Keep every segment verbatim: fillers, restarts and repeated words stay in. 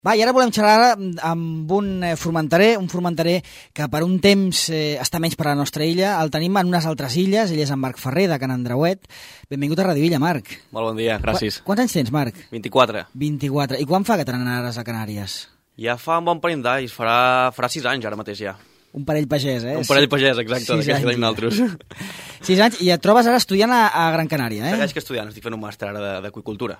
Va, i ara volem xerrar amb un formenterer, un formenterer que per un temps eh, està menys per a la nostra illa. El tenim en unes altres illes, ell és en Marc Ferrer, de Can Andreuet. Benvingut a Radio Illa, Marc. Molt bon dia, gràcies. Qu quants anys tens, Marc? vint-i-quatre. vint-i-quatre. I quan fa que te n'anaràs a Canàries? Ja fa un bon parell d'anys, farà, farà sis anys ara mateix ja. Un parell pagès, eh? Un parell pagès, exacte, d'aquests tenim nosaltres. Sis anys, i et trobes ara estudiant a, a Gran Canària, eh? Segueix que estudiant, estic fent un màster ara d'aqüicultura.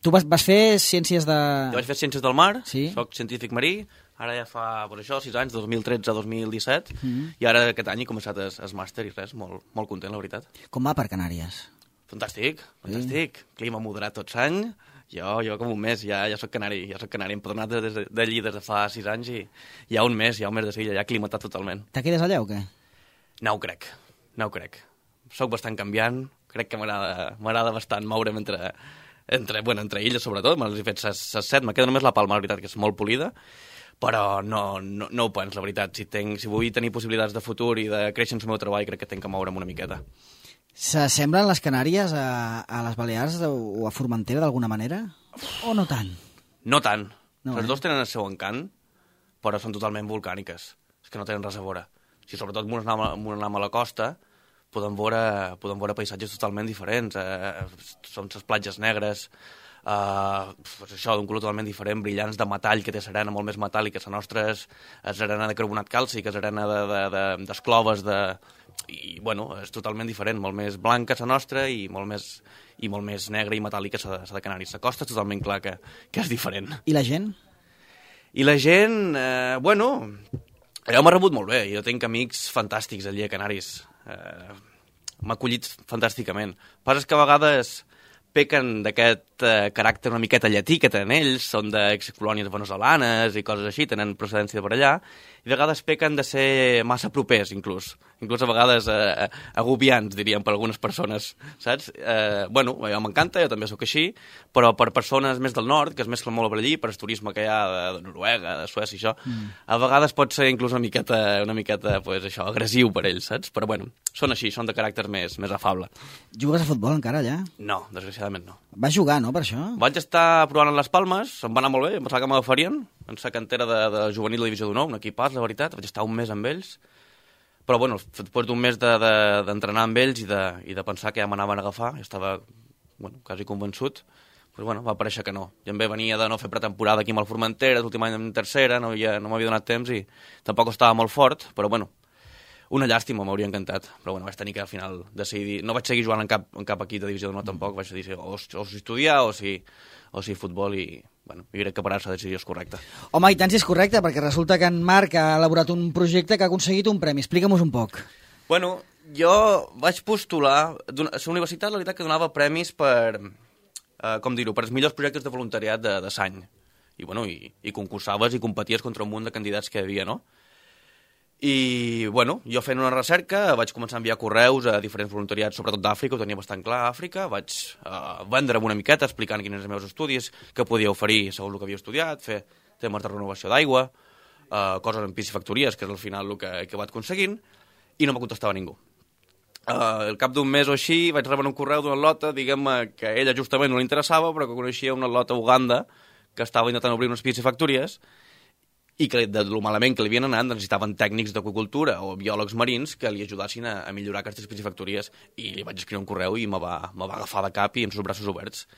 Tu vas, vas fer ciències de... Jo vaig fer ciències del mar, sí. Soc científic marí, ara ja fa, per això, sis anys, dos mil tretze a dos mil disset, mm -hmm. i ara aquest any he començat el, el màster i res, molt, molt content, la veritat. Com va per Canàries? Fantàstic, fantàstic. Sí. Clima moderat tot l'any. Jo, jo com un mes, ja, ja soc canari, ja soc canari. Hem tornat d'allí des de fa sis anys i ja un mes, ja un mes de seguida, ja aclimatat totalment. Te quedes allà o què? No ho crec, no ho crec. Soc bastant canviant, crec que m'agrada bastant moure'm entre, entre, bueno, entre illes, sobretot. Me'ls he fet ses set, me queda només la Palma, la veritat, que és molt polida, però no, no, no ho pens, la veritat. Si, tenc, si vull tenir possibilitats de futur i de créixer en el meu treball, crec que tenc que moure'm una miqueta. S'assemblen les Canàries a, a les Balears o a Formentera d'alguna manera? O no tant? No tant. No, les eh? dues tenen el seu encant, però són totalment volcàniques. És que no tenen res a veure. Si sobretot m'ho anem a la costa, podem veure, podem veure paisatges totalment diferents. Eh, són les platges negres, eh, pues això, d'un color totalment diferent, brillants de metall, que té serena molt més metàl·lica. La nostra és, és arena de carbonat càlcic, és arena d'escloves, de, de, de, i bueno, és totalment diferent, molt més blanca la nostra i molt més, i molt més negra i metàl·lica la de, de Canàries. La costa és totalment clar que, que és diferent. I la gent? I la gent, eh, bueno, allò m'ha rebut molt bé. Jo tinc amics fantàstics allí a Canàries. Eh, m'ha acollit fantàsticament. Passa que a vegades pequen d'aquest eh, caràcter una miqueta llatí que tenen ells, són d'excolònies veneçolanes i coses així, tenen procedència de per allà, i a vegades pequen de ser massa propers, inclús. Inclús a vegades eh, agobiants, diríem, per algunes persones, saps? Eh, bueno, a mi m'encanta, jo també sóc així, però per persones més del nord, que es mesclen molt per allí, per el turisme que hi ha de, de Noruega, de Suècia i això, mm. a vegades pot ser inclús una miqueta, una miqueta pues, això, agressiu per ells, saps? Però bueno, són així, són de caràcter més, més afable. Jugues a futbol encara, allà? No, desgraciadament no. Vas jugar, no, per això? Vaig estar provant en les Palmes, em va anar molt bé, em pensava que m'agafarien, en la cantera de, de juvenil de Divisió d'Honor, un equipàs, la veritat, vaig estar un mes amb ells, però bueno, després d'un mes d'entrenar de, de, amb ells i de, i de pensar que ja m'anaven a agafar, ja estava bueno, quasi convençut, doncs bueno, va parèixer que no. I em ve venia de no fer pretemporada aquí amb el Formentera, l'últim any en tercera, no, ja, no m'havia donat temps i tampoc estava molt fort, però bueno, una llàstima, m'hauria encantat, però bueno, vaig tenir que al final decidir, no vaig seguir jugant en cap, en cap equip de Divisió d'Honor tampoc, vaig decidir o, o si estudiar o si, o si futbol i... Bueno, jo crec que per ara la decisió és correcta. Home, i tant si és correcte, perquè resulta que en Marc ha elaborat un projecte que ha aconseguit un premi. Explica'm-ho un poc. Bueno, jo vaig postular... La universitat, la veritat, que donava premis per, eh, com dir-ho, per els millors projectes de voluntariat de, de l'any. I, bueno, i, i concursaves i competies contra un munt de candidats que hi havia, no? I, bueno, jo fent una recerca vaig començar a enviar correus a diferents voluntariats, sobretot d'Àfrica, ho tenia bastant clar, Àfrica, vaig uh, vendre'm una miqueta explicant quins eren els meus estudis, què podia oferir segons el que havia estudiat, fer temes de renovació d'aigua, uh, coses en piscifactories, que és al final el que, que vaig aconseguint, i no me contestava ningú. Uh, al cap d'un mes o així vaig rebre un correu d'una atleta, diguem-me que a ella justament no li interessava, però que coneixia una atleta a Uganda que estava intentant obrir unes piscifactories i que de lo malament que li havien anat necessitaven tècnics d'aqüicultura o biòlegs marins que li ajudassin a, a millorar aquestes piscifactories i li vaig escriure un correu i me va, me va agafar de cap i amb els braços oberts.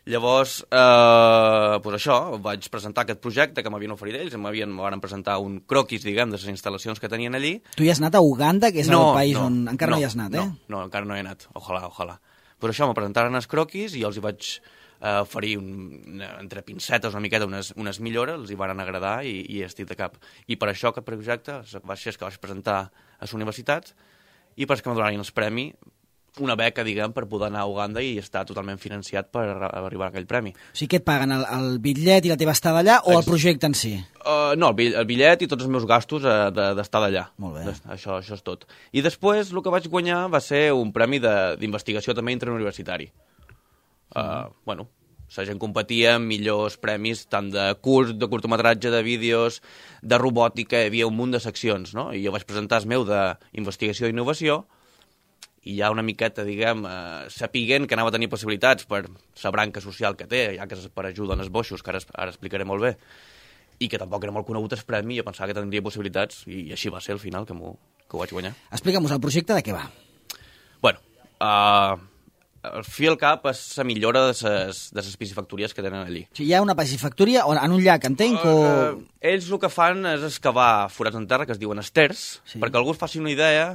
Llavors, eh, pues això, vaig presentar aquest projecte que m'havien oferit ells, m'havien me van presentar un croquis, diguem, de les instal·lacions que tenien allí. Tu hi has anat a Uganda, que és no, el país no, on encara no, no hi has anat, no, eh? No, encara no hi he anat, ojalà, ojalà. Per això me presentaren els croquis i els hi vaig Uh, oferir un, entre pincetes una miqueta unes, unes millores, els hi van agradar i, i estic de cap. I per això aquest projecte va ser que vaig presentar a la universitat i per que me donarin el premi, una beca, diguem, per poder anar a Uganda i estar totalment financiat per arribar a aquell premi. O sigui, què et paguen? El, el bitllet i la teva estada allà o el projecte en si? Uh, no, el, el bitllet i tots els meus gastos uh, d'estar d'allà. Molt bé. Això, això és tot. I després el que vaig guanyar va ser un premi d'investigació també interuniversitari. Uh, bueno, la gent competia amb millors premis tant de curt, de curtometratge, de vídeos, de robòtica, hi havia un munt de seccions, no? I jo vaig presentar el meu d'investigació i innovació i ja una miqueta, diguem, eh, sapiguent que anava a tenir possibilitats per la branca social que té, ja que és per ajuda en els boixos, que ara, ara explicaré molt bé, i que tampoc era molt conegut el premi, jo pensava que tindria possibilitats, i així va ser al final, que, que ho vaig guanyar. Explica'm-nos el projecte, de què va? Bueno, uh, el fi al cap és la millora de les de les piscifactories que tenen allí. O sigui, hi ha una piscifactoria en un llac, entenc, o... Uh, ells el que fan és excavar forats en terra, que es diuen esters, sí. perquè algú es faci una idea,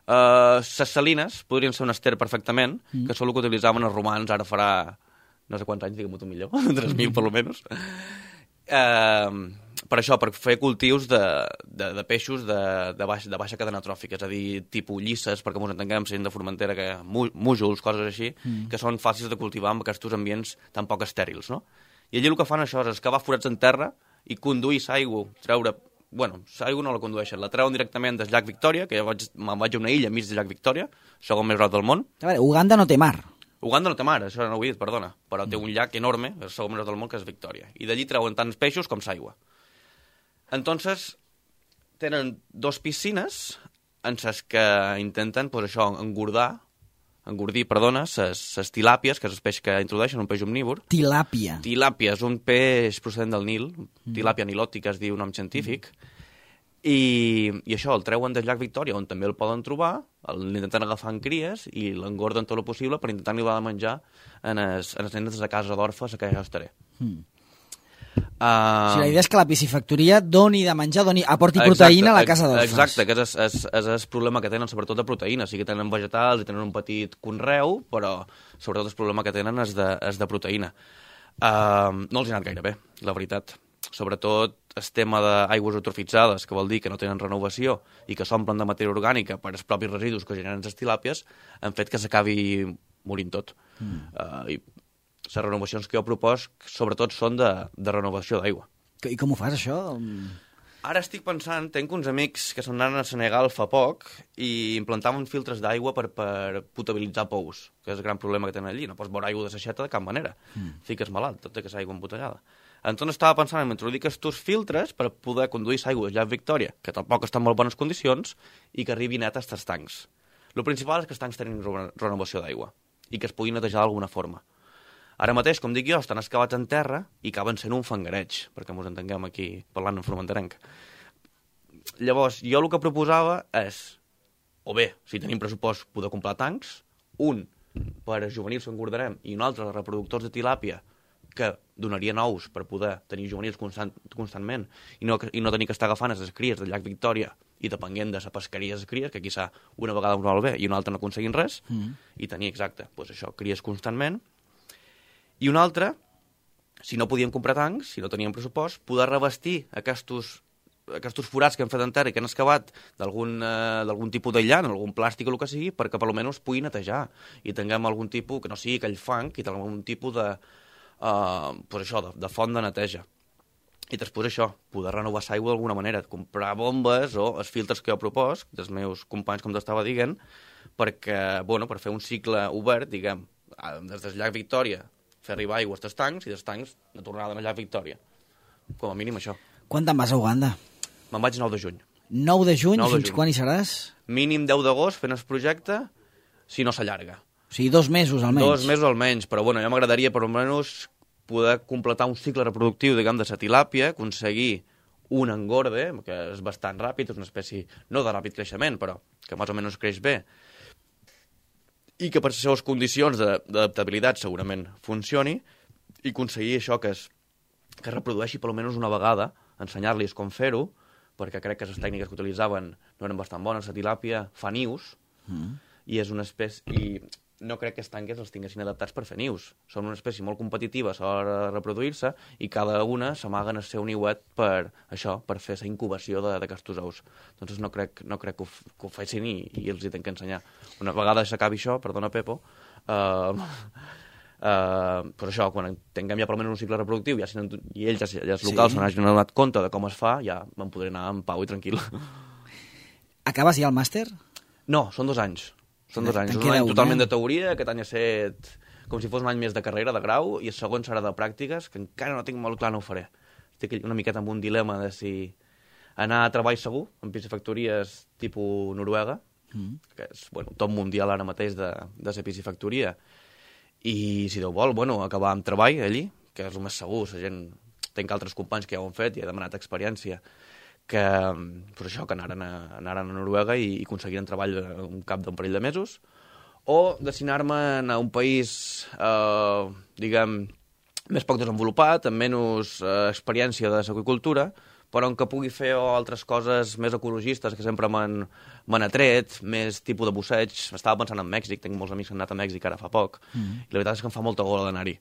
uh, les salines podrien ser un ester perfectament, mm. que és el que utilitzaven els romans, ara farà no sé quants anys, diguem-ho tu millor, tres mil per almenys. Uh, per això, per fer cultius de, de, de peixos de, de, baix, de baixa cadena tròfica, és a dir, tipus llisses, perquè ens entenguem, sent de Formentera, que mújols, coses així, mm. que són fàcils de cultivar amb aquests ambients tan poc estèrils, no? I allí el que fan això és excavar forats en terra i conduir l'aigua, treure... Bueno, l'aigua no la condueixen, la treuen directament del llac Victòria, que jo vaig, me'n vaig a una illa enmig del llac Victòria, segon més gros del món. A veure, Uganda no té mar. Uganda no té mar, això no ho he dit, perdona, però té un llac enorme, el segon més del món, que és Victòria. I d'allí treuen tants peixos com l'aigua. Entonces, tenen dos piscines en les que intenten, pues, això, engordar, engordir, perdona, les tilàpies, que és el peix que introdueixen, un peix omnívor. Tilàpia. Tilàpia és un peix procedent del Nil, mm. tilàpia nilòtica es diu nom científic, mm. I, i això el treuen del llac Victòria, on també el poden trobar, l'intenten agafar en cries i l'engorden tot el possible per intentar arribar a menjar en els, en els nens de casa d'orfes a què jo estaré. Mm. Uh, o sigui, la idea és que la piscifactoria doni de menjar, doni, aporti exacte, proteïna a la casa d'orfes. Exacte, que és, és, és el problema que tenen, sobretot de proteïna. Sí que tenen vegetals i tenen un petit conreu, però sobretot el problema que tenen és de, és de proteïna. Uh, no els ha anat gaire bé, la veritat. Sobretot el tema d'aigües eutrofitzades, que vol dir que no tenen renovació i que s'omplen de matèria orgànica per els propis residus que generen les tilàpies, han fet que s'acabi morint tot. Mm. Uh, I les renovacions que jo propos, sobretot, són de, de renovació d'aigua. I com ho fas, això? Ara estic pensant, tenc uns amics que se'n anaven a Senegal fa poc i implantaven filtres d'aigua per, per potabilitzar pous, que és el gran problema que tenen allí. No pots beure aigua de l'aixeta de cap manera. Mm. Fiques malalt, tot i que és aigua embotellada. Entonces estava pensant en introduir aquests filtres per poder conduir l'aigua del llac Victòria, que tampoc està en molt bones condicions, i que arribi net a aquests tancs. El principal és que els tancs tenen renovació d'aigua i que es puguin netejar d'alguna forma. Ara mateix, com dic jo, estan excavats en terra i acaben sent un fangareig, perquè ens entenguem aquí parlant en formenterenc. Llavors, jo el que proposava és, o bé, si tenim pressupost, poder comprar tancs, un per a juvenils que engordarem i un altre de reproductors de tilàpia que donarien ous per poder tenir juvenils constant, constantment i no, i no tenir que estar agafant les cries del llac Victòria i depenent de la pesqueria de les cries, que quizà una vegada us vol bé i una altra no aconseguint res, mm. i tenir, exacte, doncs això, cries constantment. I un altre, si no podien comprar tancs, si no tenien pressupost, poder revestir aquests, aquests forats que han fet en terra i que han excavat d'algun eh, tipus d'aïllant, algun plàstic o el que sigui, perquè per almenys pugui netejar i tinguem algun tipus, que no sigui aquell fang, i tinguem algun tipus de Uh, pues això, de, de font de neteja. I després això, poder renovar l'aigua d'alguna manera, comprar bombes o els filtres que jo propos, dels meus companys, com t'estava dient, perquè, bueno, per fer un cicle obert, diguem, des del llac Victòria, fer arribar aigua als tancs i dels tancs de tornada al llac Victòria. Com a mínim això. Quan te'n vas a Uganda? Me'n vaig nou de juny. nou de juny? nou de Fins juny. Quan hi seràs? Mínim deu d'agost fent el projecte, si no s'allarga. O sigui, dos mesos almenys. Dos mesos almenys, però bueno, ja m'agradaria per almenys poder completar un cicle reproductiu, diguem, de la tilàpia, aconseguir un engorde, que és bastant ràpid, és una espècie, no de ràpid creixement, però que més o menys creix bé, i que per les seves condicions d'adaptabilitat segurament funcioni, i aconseguir això que es, que es reprodueixi per almenys una vegada, ensenyar-los com fer-ho, perquè crec que les tècniques que utilitzaven no eren bastant bones. La tilàpia fa nius, mm. i és una espècie... I no crec que els tanques els tinguessin adaptats per fer nius. Són una espècie molt competitiva a l'hora de reproduir-se i cada una s'amaguen el seu niuet per això, per fer la incubació d'aquests ous. Doncs no crec, no crec que, ho, que ho fessin i, i els hi tinc que ensenyar. Una vegada s'acabi això, perdona Pepo, uh, uh, però això, quan tinguem ja per almenys un cicle reproductiu ja, i ells, ja, ja els locals, sí. s'han donat compte de com es fa, ja me'n podré anar en pau i tranquil. Acabes ja el màster? No, són dos anys. Són dos anys, un any totalment de teoria, aquest any ha set com si fos un any més de carrera, de grau, i el segon serà de pràctiques, que encara no tinc molt clar, no ho faré. Estic una miqueta amb un dilema de si anar a treball segur, en piscifactories tipus Noruega, mm. que és bueno, top mundial ara mateix de, de ser piscifactoria. I si Déu vol, bueno, acabar amb treball allí, que és el més segur, la gent... Tenc altres companys que ja ho han fet i he demanat experiència, que, pues això, que anaren a, anaren a Noruega i, i aconseguiren treball un cap d'un parell de mesos, o destinar-me a un país, eh, diguem, més poc desenvolupat, amb menys eh, experiència de l'agricultura, però en què pugui fer altres coses més ecologistes que sempre m'han atret, més tipus de busseig. Estava pensant en Mèxic, tinc molts amics que han anat a Mèxic ara fa poc, mm. i la veritat és que em fa molta gola d'anar-hi.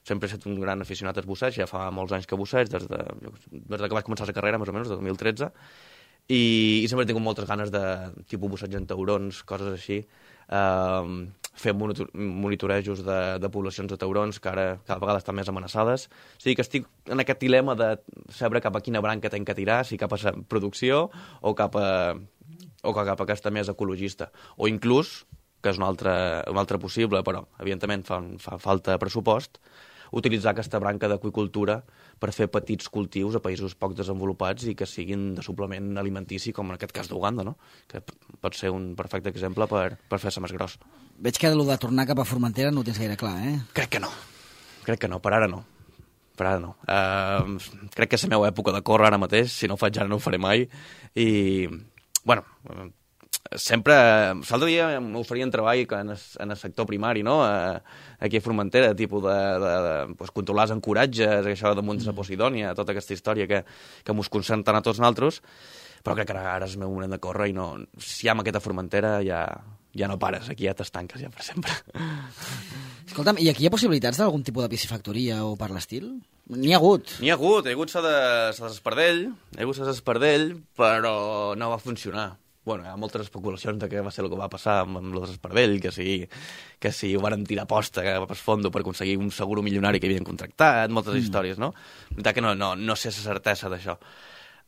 Sempre he estat un gran aficionat als busseig, ja fa molts anys que busseig, des de, des de que vaig començar la carrera, més o menys, de dos mil tretze, i, i sempre he tingut moltes ganes de tipus busseig en taurons, coses així, eh, fer monitorejos de, de poblacions de taurons que ara cada vegada estan més amenaçades. O sigui que estic en aquest dilema de saber cap a quina branca tenc que tirar, si cap a la producció o cap a, o cap a aquesta més ecologista. O inclús, que és un altre, un altre possible, però evidentment fa, fa falta pressupost, utilitzar aquesta branca d'aqüicultura per fer petits cultius a països poc desenvolupats i que siguin de suplement alimentici, com en aquest cas d'Uganda, no? Que pot ser un perfecte exemple per, per fer-se més gros. Veig que el de tornar cap a Formentera no ho tens gaire clar, eh? Crec que no. Crec que no, per ara no. Per ara no. Uh, crec que és la meva època de córrer ara mateix, si no ho faig ara no ho faré mai. I, bueno... sempre, l'altre dia m'oferien treball en el, en el sector primari, no? Aquí a Formentera, tipus de, de, de pues, controlar els encoratges, això de Montes a Posidònia, tota aquesta història que, que mos concentren a tots nosaltres, però crec que ara, ara és el meu moment de córrer i no, si hi ha aquesta Formentera ja, ja no pares, aquí ja t'estanques ja per sempre. Escolta'm, i aquí hi ha possibilitats d'algun tipus de piscifactoria o per l'estil? N'hi ha hagut. N'hi ha hagut, hi ha hagut la de l'Espardell, hi ha hagut la d'Espardell, però no va funcionar. Bueno, hi ha moltes especulacions de què va ser el que va passar amb, amb l'Espardell, que si, que si ho van tirar posta per fondo per aconseguir un seguro milionari que havien contractat, moltes mm. històries, no? La veritat que no, no, no sé la certesa d'això.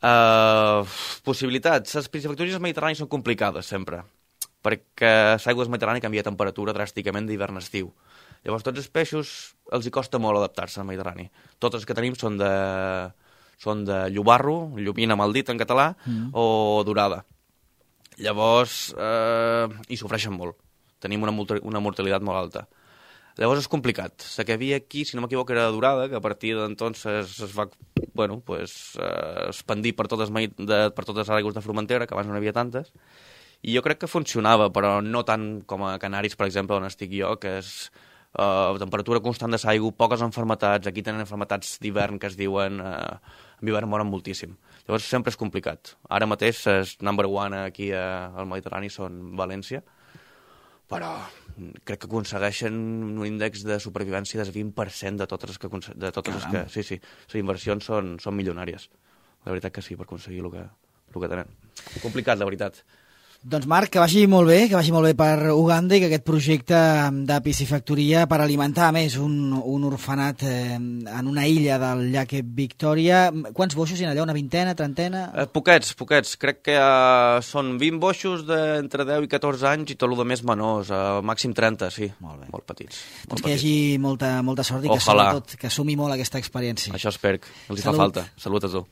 Uh, possibilitats. Les piscifactories mediterrànies són complicades, sempre, perquè l'aigua mediterrània canvia de temperatura dràsticament d'hivern a estiu. Llavors, tots els peixos els hi costa molt adaptar-se al Mediterrani. Totes les que tenim són de, són de llobarro, llobina mal dit en català, mm. o dorada. Llavors, eh, hi sofreixen molt. Tenim una, una mortalitat molt alta. Llavors és complicat. La que havia aquí, si no m'equivoco, era dorada, que a partir d'entonces es va bueno, pues, eh, expandir per totes, de, per totes les aigües de Formentera, que abans no n'hi havia tantes, i jo crec que funcionava, però no tant com a Canaris, per exemple, on estic jo, que és eh, temperatura constant de l'aigua, poques enfermetats, aquí tenen enfermetats d'hivern que es diuen... Eh, en hivern moren moltíssim. Llavors sempre és complicat. Ara mateix el number one aquí al Mediterrani són València, però crec que aconsegueixen un índex de supervivència del vint per cent de totes les que... De totes les que sí, sí, les inversions són, són milionàries. La veritat que sí, per aconseguir el que, el que tenen. Complicat, la veritat. Doncs Marc, que vagi molt bé, que vagi molt bé per Uganda i que aquest projecte de piscifactoria per alimentar, a més, un, un orfenat eh, en una illa del llac Victòria. Quants boixos hi ha allà? Una vintena, trentena? Eh, poquets, poquets. Crec que eh, són vint boixos d'entre deu i catorze anys i tot el de més menors, eh, màxim trenta, sí. Molt bé. Molt petits. Molt doncs que hi hagi molta, molta sort i que, Ojalà. sobretot, que assumi molt aquesta experiència. Això espero, els hi fa falta. Salut a tu.